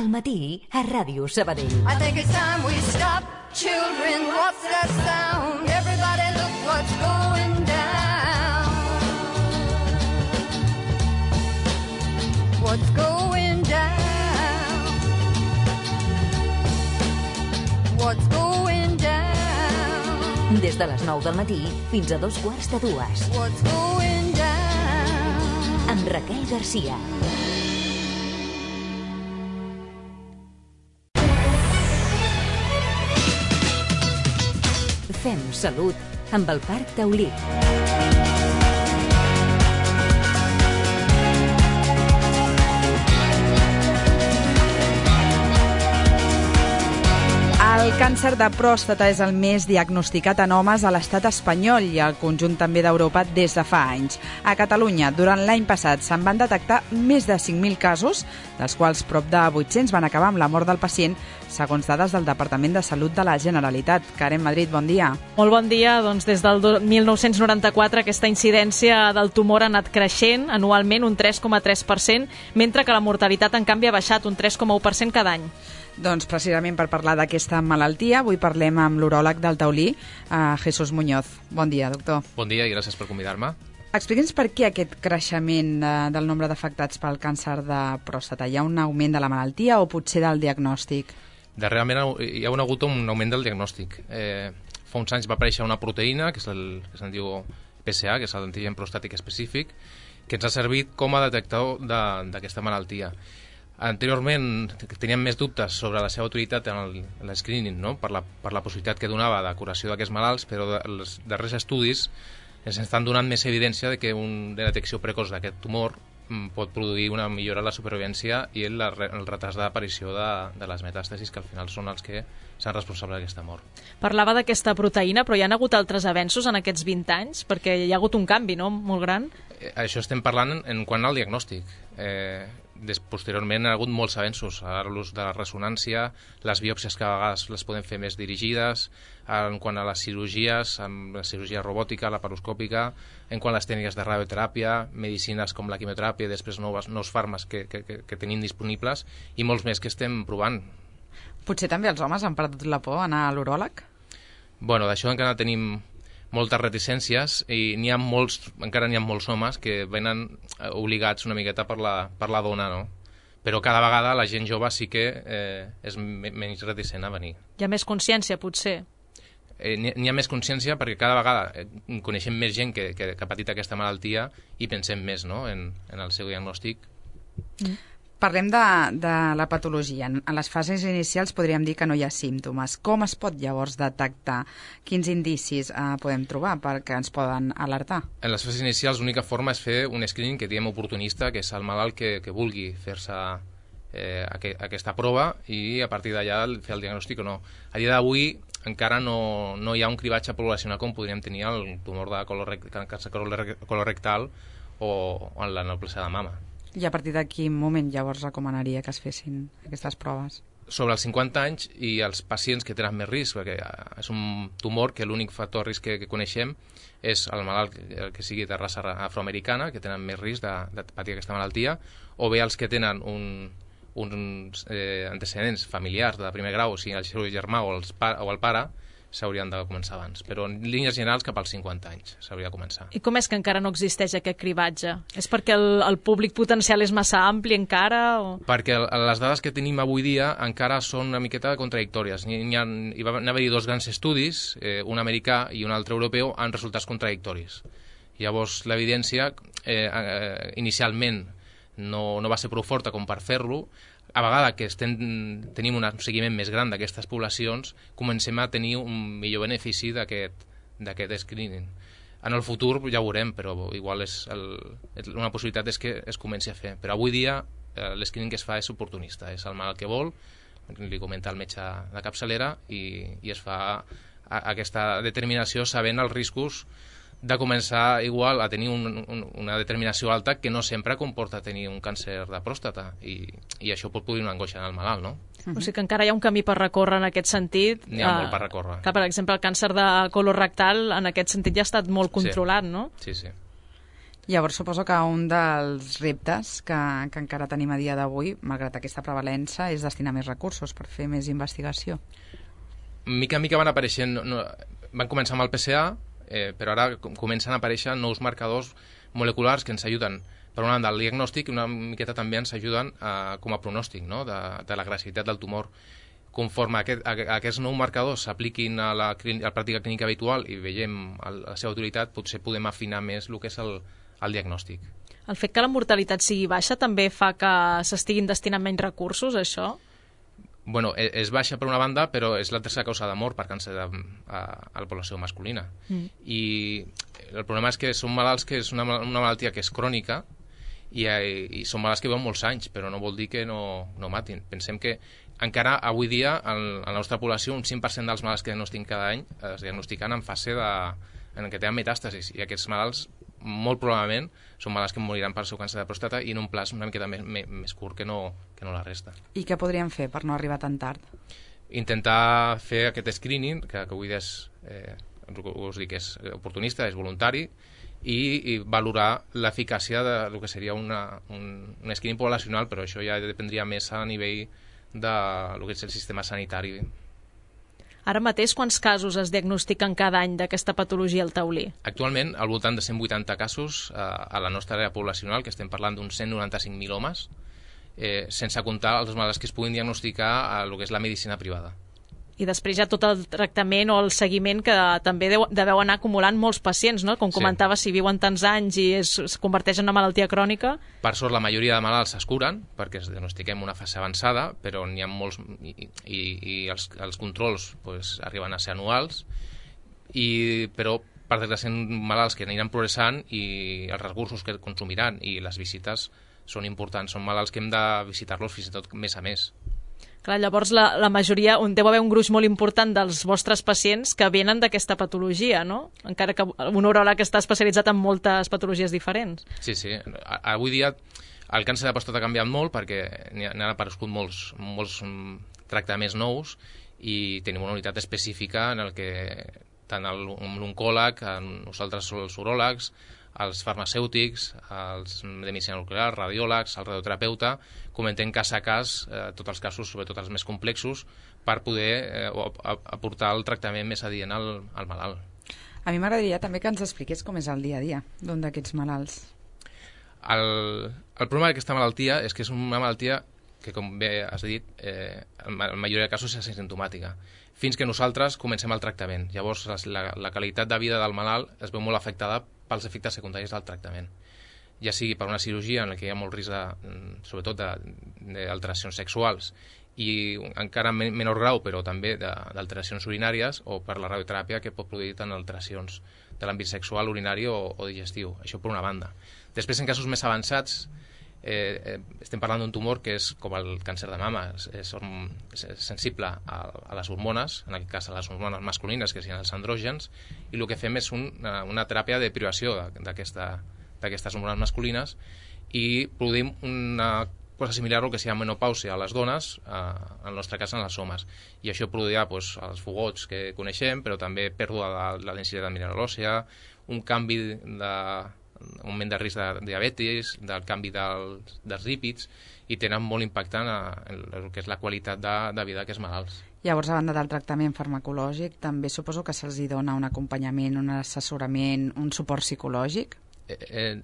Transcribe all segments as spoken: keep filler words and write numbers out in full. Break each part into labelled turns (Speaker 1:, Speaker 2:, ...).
Speaker 1: Al matí, a Ràdio Sabadell.
Speaker 2: I think it's time we stop. Children, what's that sound? Everybody look what's going down. What's going down? What's going down?
Speaker 1: Des de les nou del matí fins a dos quarts de dues.
Speaker 2: What's going down?
Speaker 1: Amb Raquel Garcia. Fem salut amb el Parc Taulí.
Speaker 3: El càncer de pròstata és el més diagnosticat en homes a l'estat espanyol i al conjunt també d'Europa des de fa anys. A Catalunya, durant l'any passat, se'n van detectar més de cinc mil casos, dels quals prop de vuit-cents van acabar amb la mort del pacient, segons dades del Departament de Salut de la Generalitat. Karen Madrid, bon dia.
Speaker 4: Molt bon dia. Doncs des del mil nou-cents noranta-quatre aquesta incidència del tumor ha anat creixent anualment un tres coma tres per cent, mentre que la mortalitat, en canvi, ha baixat un tres coma u per cent cada any.
Speaker 3: Doncs precisament per parlar d'aquesta malaltia, avui parlem amb l'uròleg del Taulí, eh, Jesús Muñoz. Bon dia, doctor.
Speaker 5: Bon dia i gràcies per convidar-me.
Speaker 3: Explica'ns per què aquest creixement eh, del nombre d'afectats pel càncer de pròstata. Hi ha un augment de la malaltia o potser del diagnòstic?
Speaker 5: Darrerament hi ha hagut un augment del diagnòstic. Eh, fa uns anys va aparèixer una proteïna, que és el que se'n diu P S A, que és l'antigen prostàtic específic, que ens ha servit com a detectador d'aquesta malaltia. Anteriorment teníem més dubtes sobre la seva utilitat en l'escreening, no? per, la, per la possibilitat que donava de curació d'aquests malalts, però els darrers estudis ens estan donant més evidència de que una detecció precoç d'aquest tumor pot produir una millora en la supervivència i el, el retard d'aparició de, de les metàstasis, que al final són els que són responsables d'aquesta mort.
Speaker 4: Parlava d'aquesta proteïna, però hi ha hagut altres avenços en aquests vint anys? Perquè hi ha hagut un canvi, no?, molt gran.
Speaker 5: Eh, això estem parlant en, en quant al diagnòstic. Eh, des, posteriorment ha hagut molts avenços, l'ús de la ressonància, les biòpsies que a vegades les podem fer més dirigides, en quant a les cirurgies, amb la cirurgia robòtica, laparoscòpica, en quant a les tècniques de radioteràpia, medicines com la quimioteràpia i després nous, nous fàrmacs que, que, que, que tenim disponibles i molts més que estem provant.
Speaker 3: Potser també els homes han perdut la por a anar a l'uròleg?
Speaker 5: Bueno, d'això encara tenim moltes reticències i n'hi ha molts, encara n'hi ha molts homes que venen obligats una miqueta per la, per la dona, no? Però cada vegada la gent jove sí que eh, és menys reticent a venir.
Speaker 4: Hi ha més consciència, potser?
Speaker 5: Eh, n'hi ha més consciència perquè cada vegada eh, coneixem més gent que, que, que ha patit aquesta malaltia i pensem més, no?, en, en el seu diagnòstic.
Speaker 3: Mm. Parlem de, de la patologia. En les fases inicials podríem dir que no hi ha símptomes. Com es pot llavors detectar? Quins indicis eh, podem trobar perquè ens poden alertar?
Speaker 5: En les fases inicials l'única forma és fer un screening que diem oportunista, que és el malalt que, que vulgui fer-se eh, aqu aquesta prova i a partir d'allà fer el diagnòstic o no. A dia d'avui encara no, no hi ha un cribatge poblacional com podríem tenir el tumor de càncer colorectal o, o en la neoplàsia de mama.
Speaker 3: I a partir de quin moment llavors recomanaria que es fessin aquestes proves?
Speaker 5: Sobre els cinquanta anys i els pacients que tenen més risc, perquè és un tumor que l'únic factor de risc que, que coneixem és el malalt que, que sigui de raça afroamericana, que tenen més risc de, de patir aquesta malaltia, o bé els que tenen un, uns eh, antecedents familiars de primer grau, o sigui el seu germà o, els pa, o el pare, s'haurien de començar abans. Però en línies generals cap als cinquanta anys s'hauria de començar.
Speaker 4: I com és que encara no existeix aquest cribatge? És perquè el, el públic potencial és massa ampli encara? O...
Speaker 5: Perquè les dades que tenim avui dia encara són una miqueta contradictòries. Hi, hi, ha, hi va haver dos grans estudis, eh, un americà i un altre europeu, amb resultats contradictoris. Llavors l'evidència eh, eh, inicialment no, no va ser prou forta com per fer-lo. A vegada que estem, tenim un seguiment més gran d'aquestes poblacions, comencem a tenir un millor benefici d'aquest screening. En el futur ja ho veurem, però igual és el, una possibilitat és que es comenci a fer. Però avui dia eh, l'escreening que es fa és oportunista, és el malalt que vol, li comenta el metge de capçalera i, i es fa a, a aquesta determinació sabent els riscos de començar igual a tenir un, un, una determinació alta que no sempre comporta tenir un càncer de pròstata i, i això pot produir una angoixa en el malalt, no?
Speaker 4: Uh-huh. O sigui que encara hi ha un camí per recórrer en aquest sentit.
Speaker 5: N'hi ha uh, molt per recórrer.
Speaker 4: Que, per exemple, el càncer de colorectal en aquest sentit ja ha estat molt controlat,
Speaker 5: sí.
Speaker 4: no?
Speaker 5: Sí, sí.
Speaker 3: Llavors suposo que un dels reptes que, que encara tenim a dia d'avui, malgrat aquesta prevalença, és destinar més recursos per fer més investigació.
Speaker 5: Mica en mica van apareixent, no, van començar amb el P C A, eh, però ara comencen a aparèixer nous marcadors moleculars que ens ajuden, per una banda, al diagnòstic i una miqueta també ens ajuden a, com a pronòstic, no?, de, de l'agressivitat del tumor. Conforme aquest, a, a aquests nous marcadors s'apliquin a la, a la pràctica clínica habitual i veiem el, la seva utilitat, potser podem afinar més el que és el, el diagnòstic.
Speaker 4: El fet que la mortalitat sigui baixa també fa que s'estiguin destinant menys recursos, això?
Speaker 5: Bueno, és baixa per una banda, però és la tercera causa de mort per càncer a, a, a la població masculina. Mm. I el problema és que són malalts que és una, una malaltia que és crònica i, i són malalts que viuen molts anys, però no vol dir que no, no matin. Pensem que encara avui dia en, en la nostra població un cinc per cent dels malalts que diagnostiquen cada any es diagnostiquen en fase de, en què tenen metàstasis, i aquests malalts molt probablement són malalts que moriran per seu càncer de pròstata i en un plaç una miqueta més, més, més curt que no, que no la resta.
Speaker 3: I què podríem fer per no arribar tan tard?
Speaker 5: Intentar fer aquest screening, que, que avui és, eh, us dic, és oportunista, és voluntari, i, i valorar l'eficàcia del que seria una, un, un screening poblacional, però això ja dependria més a nivell de lo que és el sistema sanitari.
Speaker 4: Ara mateix, quants casos es diagnostiquen cada any d'aquesta patologia al taulí?
Speaker 5: Actualment, al voltant de cent vuitanta casos eh, a la nostra àrea poblacional, que estem parlant d'uns cent noranta-cinc mil homes, eh, sense comptar els malalts que es puguin diagnosticar a lo que és la medicina privada.
Speaker 4: I després hi ha tot el tractament o el seguiment que també deu, deveu anar acumulant molts pacients, no? Com comentava, sí. Si viuen tants anys i es, es converteix en una malaltia crònica...
Speaker 5: Per sort, la majoria de malalts es curen, perquè es diagnostiquem una fase avançada, però n'hi ha molts... i, i, i els, els controls pues, arriben a ser anuals, i, però per desgràcia malalts que aniran progressant i els recursos que consumiran i les visites són importants. Són malalts que hem de visitar-los fins i tot mes a mes.
Speaker 4: Clar, llavors la, la majoria, on deu haver un gruix molt important dels vostres pacients que venen d'aquesta patologia, no? Encara que un uròleg està especialitzat en moltes patologies diferents.
Speaker 5: Sí, sí. Avui dia el càncer de pròstata ha canviat molt perquè n'han aparegut molts, molts tractaments nous i tenim una unitat específica en el que tant l'oncòleg, nosaltres els uròlegs, els farmacèutics, els de medicina nuclear, radiòlegs, el radioterapeuta, comentem cas a cas eh, tots els casos, sobretot els més complexos, per poder eh, aportar el tractament més adient al, al malalt.
Speaker 3: A mi m'agradaria també que ens expliqués com és el dia a dia d'un d'aquests malalts.
Speaker 5: El, el problema d'aquesta malaltia és que és una malaltia que, com bé has dit, eh, en la majoria de casos és asimptomàtica, fins que nosaltres comencem el tractament. Llavors, la, la qualitat de vida del malalt es veu molt afectada pels efectes secundaris del tractament, ja sigui per una cirurgia en la que hi ha molt risc, de, sobretot d'alteracions sexuals, i encara en menor grau, però també d'alteracions urinàries, o per la radioteràpia, que pot produir tant alteracions de l'àmbit sexual, urinari o, o digestiu. Això per una banda. Després, en casos més avançats, eh, eh, estem parlant d'un tumor que és com el càncer de mama, és, és, és sensible a, a les hormones, en aquest cas a les hormones masculines, que siguin els andrògens, i el que fem és un, una, una teràpia de privació d'aquestes hormones masculines i produïm una cosa similar al que sigui menopàusia a les dones, eh, en el nostre cas en els homes. I això produirà pues, els fogots que coneixem, però també pèrdua de la densitat mineral òssea, un canvi de un augment de risc de diabetis, del canvi del, dels lípids, i tenen molt impacte en, en el que és la qualitat de, de vida d'aquests malalts.
Speaker 3: Llavors, a banda del tractament farmacològic, també suposo que se'ls dona un acompanyament, un assessorament, un suport psicològic?
Speaker 5: Eh,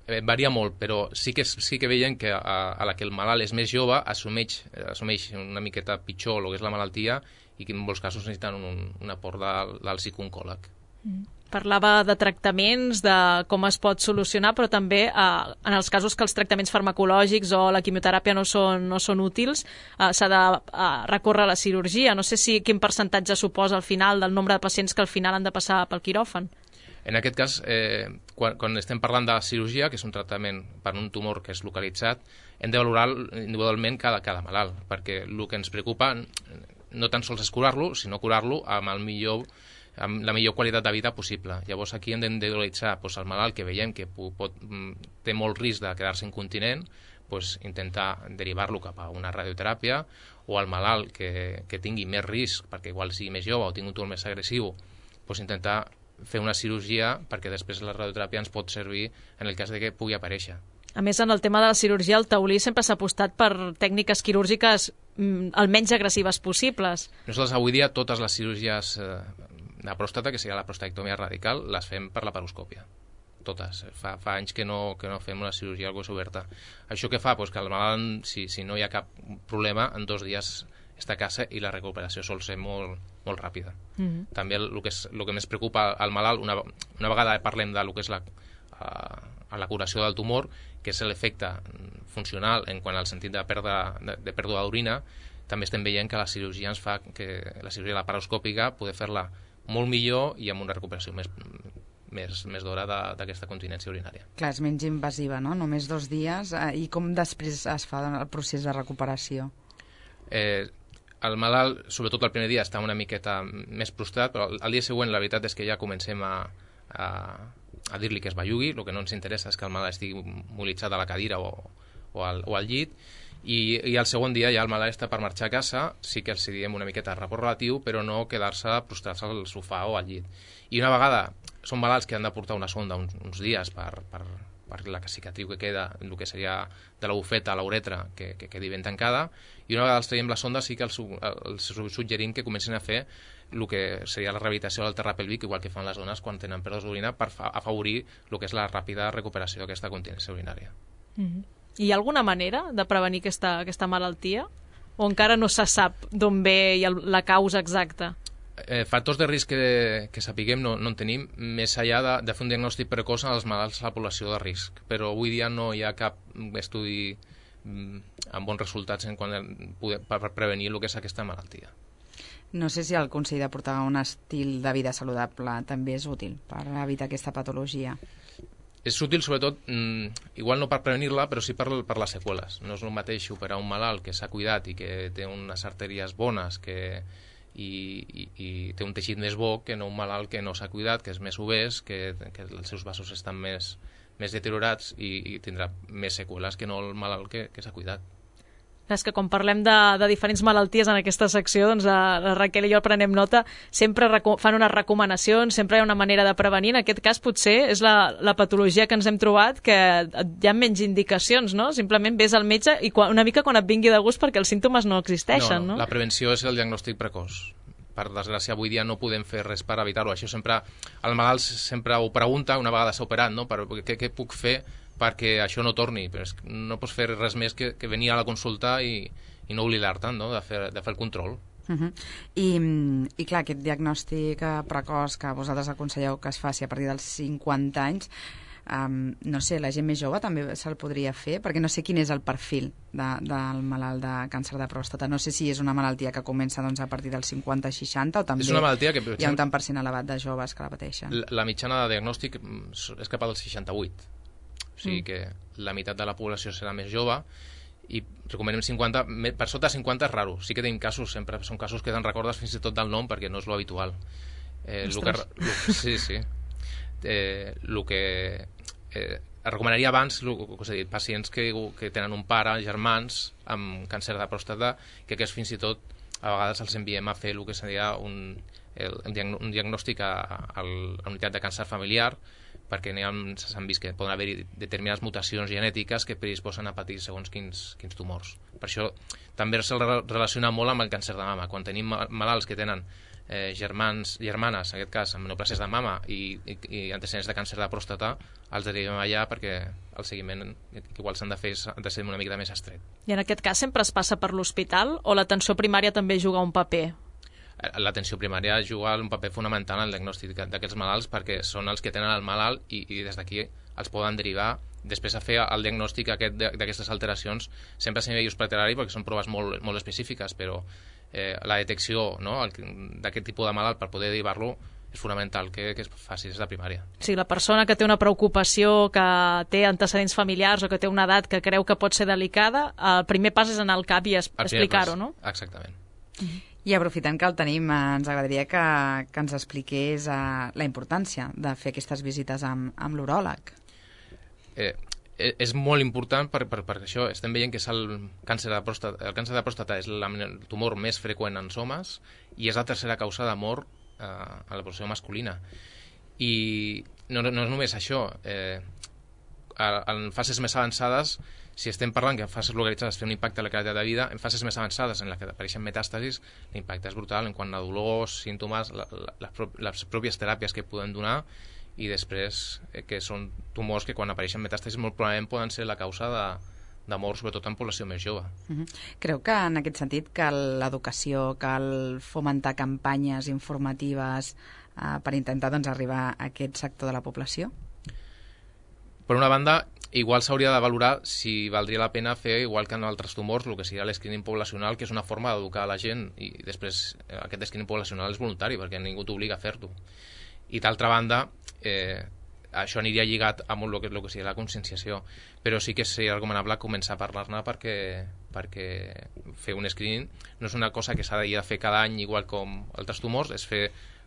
Speaker 5: eh, varia molt, però sí que, sí que veiem que a, a la que el malalt és més jove assumeix, assumeix una miqueta pitjor el que és la malaltia i que en molts casos necessiten un, un aport del, del psicooncòleg.
Speaker 4: Mm. Parlava de tractaments, de com es pot solucionar, però també eh, en els casos que els tractaments farmacològics o la quimioteràpia no són, no són útils, eh, s'ha de eh, recórrer a la cirurgia. No sé si quin percentatge suposa al final del nombre de pacients que al final han de passar pel quiròfan.
Speaker 5: En aquest cas, eh, quan, quan estem parlant de cirurgia, que és un tractament per un tumor que és localitzat, hem de valorar individualment cada, cada malalt, perquè el que ens preocupa no tan sols és curar-lo, sinó curar-lo amb el millor amb la millor qualitat de vida possible. Llavors aquí hem d'individualitzar pues, el malalt que veiem que pot, té molt risc de quedar-se incontinent, pues, intentar derivar-lo cap a una radioteràpia, o el malalt que, que tingui més risc, perquè igual sigui més jove o tingui un tumor més agressiu, pues, intentar fer una cirurgia perquè després la radioteràpia ens pot servir en el cas de que pugui aparèixer.
Speaker 4: A més, en el tema de la cirurgia, el taulí sempre s'ha apostat per tècniques quirúrgiques mm, el menys agressives possibles.
Speaker 5: Nosaltres avui dia totes les cirurgies eh, de pròstata, que seria la prostatectomia radical, les fem per la paroscòpia. Totes. Fa, fa anys que no, que no fem una cirurgia al cos oberta. Això què fa? Pues que el malalt, si, si no hi ha cap problema, en dos dies està a casa i la recuperació sol ser molt, molt ràpida. Mm-hmm. També el, el, que és, el que més preocupa al malalt, una, una vegada parlem de lo que és la, uh, la curació del tumor, que és l'efecte funcional en quant al sentit de pèrdua, de, de pèrdua d'orina, també estem veient que la cirurgia ens fa que la cirurgia laparoscòpica poder fer-la molt millor i amb una recuperació més, més, més d'hora d'aquesta continència urinària.
Speaker 3: Clar, és menys invasiva, no? Només dos dies. Eh, I com després es fa el procés de recuperació?
Speaker 5: Eh, el malalt, sobretot el primer dia, està una miqueta més prostrat, però el dia següent la veritat és que ja comencem a, a, a dir-li que es bellugui. El que no ens interessa és que el malalt estigui mobilitzat a la cadira o, o, al, o al llit, i, i el segon dia ja el malalt està per marxar a casa. Sí que els diem una miqueta de repòs relatiu, però no quedar-se prostrats al sofà o al llit. I una vegada són malalts que han de portar una sonda uns, uns dies per, per, per la cicatriu que queda, el que seria de la bufeta a la uretra, que, que quedi ben tancada, i una vegada els traiem la sonda sí que els, els suggerim que comencin a fer el que seria la rehabilitació del terra pèlvic, igual que fan les dones quan tenen pèrdues d'orina, per afavorir el que és la ràpida recuperació d'aquesta continència urinària.
Speaker 4: Mm-hmm. Hi ha alguna manera de prevenir aquesta, aquesta malaltia? O encara no se sap d'on ve el, la causa exacta?
Speaker 5: Eh, factors de risc que, que sapiguem no, no en tenim, més enllà de, de fer un diagnòstic precoç als malalts a la població de risc. Però avui dia no hi ha cap estudi mm, amb bons resultats en quant a poder, per prevenir el que és aquesta malaltia.
Speaker 3: No sé si el consell de portar un estil de vida saludable també és útil per evitar aquesta patologia.
Speaker 5: És útil sobretot, mmm, igual no per prevenir-la, però sí per, per les seqüeles. No és el mateix operar un malalt que s'ha cuidat i que té unes artèries bones, que I, i, i té un teixit més bo, que no un malalt que no s'ha cuidat, que és més obès, que, que els seus vasos estan més, més deteriorats i, i tindrà més seqüeles que no el malalt que, que s'ha cuidat.
Speaker 4: És que quan parlem de, de diferents malalties en aquesta secció, doncs la, la Raquel i jo prenem nota, sempre fan unes recomanacions, sempre hi ha una manera de prevenir. En aquest cas potser és la, la patologia que ens hem trobat, que hi ha menys indicacions, no? Simplement ves al metge i quan, una mica quan et vingui de gust, perquè els símptomes no existeixen,
Speaker 5: no?
Speaker 4: no?
Speaker 5: La prevenció és el diagnòstic precoç. Per desgràcia, avui dia no podem fer res per evitar-ho. Això sempre, el malalt sempre ho pregunta una vegada s'ha operat, no? Per, què, què puc fer perquè això no torni? Però és, no pots fer res més que, que venir a la consulta i, i no oblidar-te'n, no? de, fer, de fer el control.
Speaker 3: Uh-huh. I, I clar, aquest diagnòstic precoç que vosaltres aconselleu que es faci a partir dels cinquanta anys, um, no sé, la gent més jove també se'l podria fer, perquè no sé quin és el perfil de, del malalt de càncer de pròstata. No sé si és una malaltia que comença doncs, a partir dels cinquanta seixanta o també
Speaker 5: és una malaltia que,
Speaker 3: hi ha un tant per cent elevat de joves que la pateixen.
Speaker 5: La, la mitjana de diagnòstic és cap al seixanta-vuit. O sigui mm. que la meitat de la població serà més jove i recomanem cinquanta, per sota cinquanta és raro. Sí que tenim casos, sempre són casos que te'n recordes fins i tot del nom perquè no és lo habitual. Eh, lo que, lo, sí, sí. Eh, lo que eh, recomanaria abans, lo, que us he dit, pacients que, que tenen un pare, germans, amb càncer de pròstata, que aquests fins i tot a vegades els enviem a fer el que seria un, el, un diagnòstic a, a la unitat de càncer familiar, perquè s'han vist que poden haver-hi determinades mutacions genètiques que predisposen a patir segons quins, quins tumors. Per això també se'l relaciona molt amb el càncer de mama. Quan tenim malalts que tenen eh, germans, germanes, en aquest cas, amb neoplàsies de mama i, i, i antecedents de càncer de pròstata, els derivem allà perquè el seguiment que igual s'han de fer ha de ser una mica més estret.
Speaker 4: I en aquest cas sempre es passa per l'hospital o l'atenció primària també juga un paper?
Speaker 5: L'atenció primària juga un paper fonamental en el diagnòstic d'aquests malalts perquè són els que tenen el malalt i, i des d'aquí els poden derivar després a fer el diagnòstic aquest d'aquestes alteracions sempre a nivell hospitalari perquè són proves molt, molt específiques, però eh, la detecció, no, d'aquest tipus de malalt per poder derivar-lo és fonamental que, que es faci des de primària.
Speaker 4: Sí, la persona que té una preocupació, que té antecedents familiars o que té una edat que creu que pot ser delicada, el primer pas és anar al cap i es, explicar-ho, no?
Speaker 5: Exactament.
Speaker 3: Uh-huh. I aprofitant que el tenim, ens agradaria que, que ens expliqués uh, la importància de fer aquestes visites amb, amb l'uròleg.
Speaker 5: Eh, és molt important per, per, per això estem veient que és el càncer de pròstata, el càncer de pròstata és la, el tumor més freqüent en homes i és la tercera causa de mort eh, a la població masculina. I no, no és només això, eh, en fases més avançades, si estem parlant que en fases localitzades té un impacte a la qualitat de vida, en fases més avançades en la que apareixen metàstasis, l'impacte és brutal en quant a dolors, símptomes, la, la, les pròpies teràpies que podem donar, i després eh, que són tumors que quan apareixen metàstasis molt probablement poden ser la causa de, de mort, sobretot en població més jove.
Speaker 3: Uh-huh. Creu que en aquest sentit cal l'educació, cal fomentar campanyes informatives eh, per intentar doncs, arribar a aquest sector de la població?
Speaker 5: Per una banda, igual s'hauria de valorar si valdria la pena fer, igual que en altres tumors, el que seria l'escreening poblacional, que és una forma d'educar la gent, i després eh, aquest escreening poblacional és voluntari, perquè ningú t'obliga a fer-ho. I d'altra banda, eh, això aniria lligat amb el que, el que seria la conscienciació, però sí que seria recomanable començar a parlar-ne perquè, perquè fer un screening no és una cosa que s'ha de fer cada any igual com altres tumors, és fer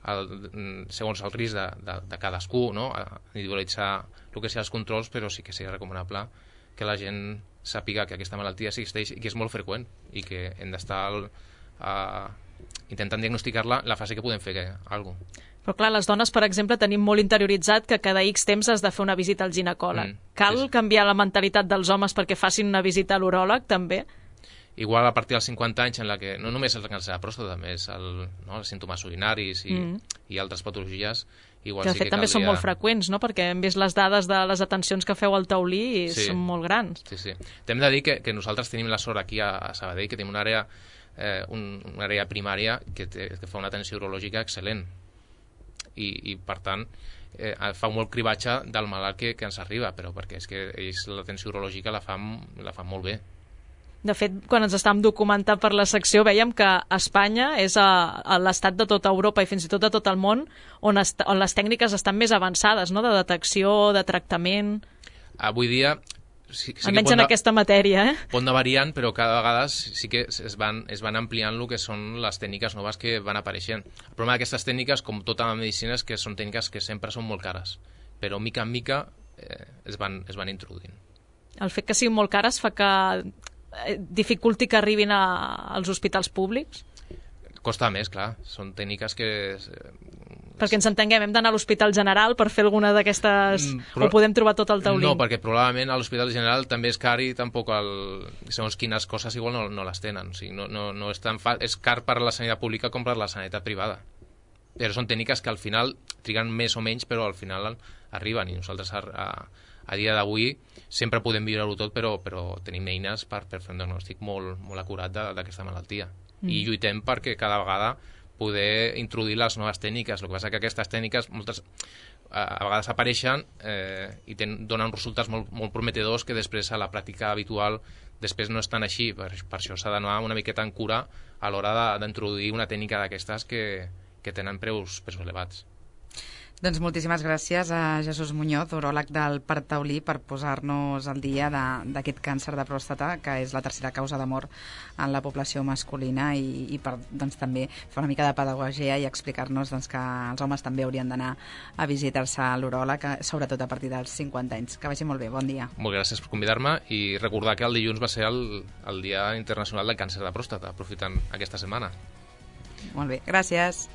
Speaker 5: el, segons el risc de, de, de cadascú, no? Individualitzar el que sigui els controls, però sí que seria recomanable que la gent sàpiga que aquesta malaltia existeix i que és molt freqüent i que hem d'estar uh, intentant diagnosticar-la la fase que podem fer alguna cosa.
Speaker 4: Però clar, les dones, per exemple, tenim molt interioritzat que cada X temps has de fer una visita al ginecòleg. Mm, Cal sí. canviar la mentalitat dels homes perquè facin una visita a l'uròleg, també?
Speaker 5: Igual a partir dels cinquanta anys, en la que no només el càncer de pròstata, també és el, no, els símptomes urinaris i, mm. i altres patologies, igual
Speaker 4: que de
Speaker 5: sí
Speaker 4: fet
Speaker 5: que
Speaker 4: també
Speaker 5: caldria...
Speaker 4: són molt freqüents, no? Perquè hem vist les dades de les atencions que feu al taulí i sí. són molt grans.
Speaker 5: Sí, sí. T'hem de dir que, que nosaltres tenim la sort aquí a, a Sabadell, que tenim una àrea, eh, un, una àrea primària que, té, que fa una atenció urològica excel·lent. I, i per tant eh, fa molt cribatge del malalt que, que ens arriba, però perquè és que ells l'atenció urològica la fan, la fan molt bé.
Speaker 4: De fet, quan ens estàvem documentant per la secció veiem que Espanya és a, a l'estat de tota Europa i fins i tot de tot el món on, est, on les tècniques estan més avançades, no? De detecció, de tractament...
Speaker 5: Avui dia... Sí, sí
Speaker 4: almenys en aquesta matèria, eh?
Speaker 5: Pot anar variant, però cada vegada sí que es van, es van ampliant el que són les tècniques noves que van apareixent. El problema d'aquestes tècniques, com tota la medicina, és que són tècniques que sempre són molt cares, però mica en mica eh, es, van, es van introduint. El
Speaker 4: fet que siguin molt cares fa que dificulti que arribin a, als hospitals públics?
Speaker 5: Costa més, clar. Són tècniques que...
Speaker 4: Perquè ens entenguem, hem d'anar a l'Hospital General per fer alguna d'aquestes... Però... o podem trobar tot el taulí?
Speaker 5: No, perquè probablement a l'Hospital General també és car i tampoc el... segons quines coses igual no, no les tenen. O sigui, no, no, no és tan fa... és car per la sanitat pública com per la sanitat privada. Però són tècniques que al final triguen més o menys, però al final arriben. I nosaltres a, a, a dia d'avui sempre podem viure-ho tot, però, però tenim eines per, per fer un diagnòstic molt, molt acurat d'aquesta malaltia. Mm. I lluitem perquè cada vegada poder introduir les noves tècniques. El que passa que aquestes tècniques moltes, a vegades apareixen eh, i ten, donen resultats molt, molt prometedors que després a la pràctica habitual després no estan així. Per, per això s'ha d'anar una miqueta en cura a l'hora d'introduir una tècnica d'aquestes que, que tenen preus, preus elevats.
Speaker 3: Doncs moltíssimes gràcies a Jesús Muñoz, uròleg del Parc Taulí, per posar-nos al dia d'aquest càncer de pròstata, que és la tercera causa de mort en la població masculina, i, i per doncs, també fer una mica de pedagogia i explicar-nos doncs, que els homes també haurien d'anar a visitar-se a l'uròleg, sobretot a partir dels cinquanta anys. Que vagi molt bé, bon dia.
Speaker 5: Molt gràcies per convidar-me i recordar que el dilluns va ser el, el Dia Internacional del Càncer de Pròstata, aprofitant aquesta setmana.
Speaker 3: Molt bé, gràcies.